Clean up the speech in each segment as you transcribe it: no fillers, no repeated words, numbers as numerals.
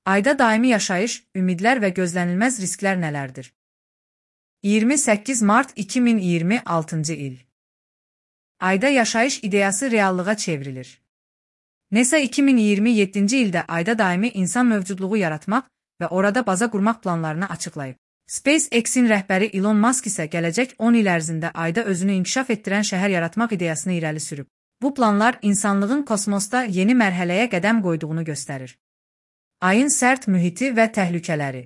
Ayda daimi yaşayış, ümidlər və gözlənilməz risklər nələrdir? 28 mart 2026-cı il. Ayda yaşayış ideyası reallığa çevrilir. NASA 2027-ci ildə ayda daimi insan mövcudluğu yaratmaq və orada baza qurmaq planlarını açıqlayıb. SpaceX-in rəhbəri Elon Musk isə gələcək 10 il ərzində ayda özünü inkişaf etdirən şəhər yaratmaq ideyasını irəli sürüb. Bu planlar insanlığın kosmosda yeni mərhələyə qədəm qoyduğunu göstərir. Ayın sərt mühiti və təhlükələri.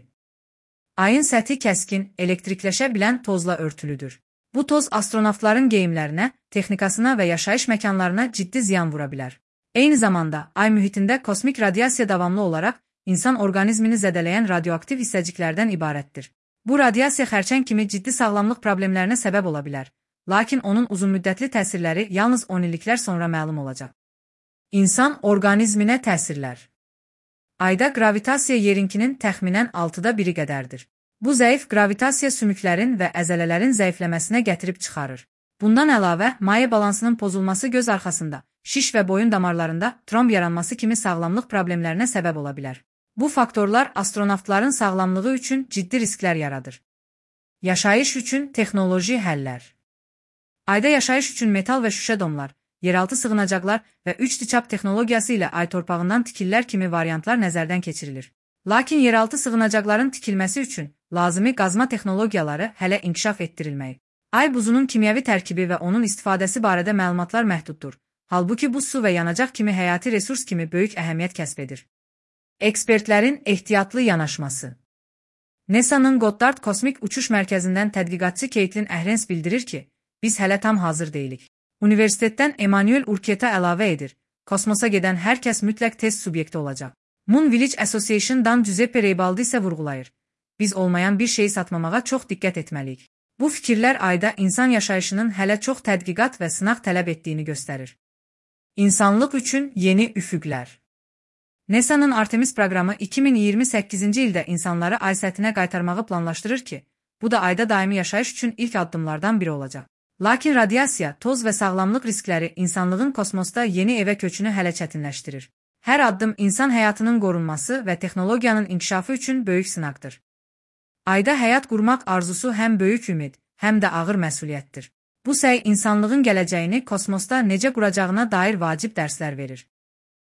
Ayın səthi kəskin, elektrikləşə bilən tozla örtülüdür. Bu toz astronavtların geyimlərinə, texnikasına və yaşayış məkanlarına ciddi ziyan vura bilər. Eyni zamanda, ay mühitində kosmik radiasiya davamlı olaraq insan orqanizmini zədələyən radioaktiv hissəciklərdən ibarətdir. Bu radiasiya xərçəng kimi ciddi sağlamlıq problemlərinə səbəb ola bilər, lakin onun uzunmüddətli təsirləri yalnız 10 illiklər sonra məlum olacaq. İnsan orqanizminə təsirlər. Ayda qravitasiya yerinkinin təxminən 6-da 1-i qədərdir. Bu zəif qravitasiya sümüklərin və əzələlərin zəifləməsinə gətirib çıxarır. Bundan əlavə, maye balansının pozulması göz arxasında, şiş və boyun damarlarında tromb yaranması kimi sağlamlıq problemlərinə səbəb ola bilər. Bu faktorlar astronavtların sağlamlığı üçün ciddi risklər yaradır. Yaşayış üçün texnoloji həllər. Ayda yaşayış üçün metal və şüşə domlar, yeraltı sığınacaqlar və 3D çap texnologiyası ilə ay torpağından tikillər kimi variantlar nəzərdən keçirilir. Lakin yeraltı sığınacaqların tikilməsi üçün lazımi qazma texnologiyaları hələ inkişaf etdirilməyib. Ay buzunun kimyəvi tərkibi və onun istifadəsi barədə məlumatlar məhduddur. Halbuki bu su və yanacaq kimi həyati resurs kimi böyük əhəmiyyət kəsb edir. Ekspertlərin ehtiyatlı yanaşması. NASA-nın Goddard Kosmik Uçuş Mərkəzindən tədqiqatçı Caitlin Ahrens bildirir ki, biz hələ tam hazır deyilik. Universitetdən Emmanuel Urqueta əlavə edir, kosmosa gedən hər kəs mütləq test subyekti olacaq. Moon Village Association-dan Giuseppe Reibaldi isə vurğulayır. Biz olmayan bir şeyi satmamağa çox diqqət etməliyik. Bu fikirlər ayda insan yaşayışının hələ çox tədqiqat və sınaq tələb etdiyini göstərir. İnsanlıq üçün yeni üfüqlər. NASA-nın Artemis proqramı 2028-ci ildə insanları ay səthinə qaytarmağı planlaşdırır ki, bu da ayda daimi yaşayış üçün ilk addımlardan biri olacaq. Lakin radiasiya, toz və sağlamlıq riskləri insanlığın kosmosda yeni evə köçünü hələ çətinləşdirir. Hər addım insan həyatının qorunması və texnologiyanın inkişafı üçün böyük sınaqdır. Ayda həyat qurmaq arzusu həm böyük ümid, həm də ağır məsuliyyətdir. Bu səy insanlığın gələcəyini kosmosda necə quracağına dair vacib dərslər verir.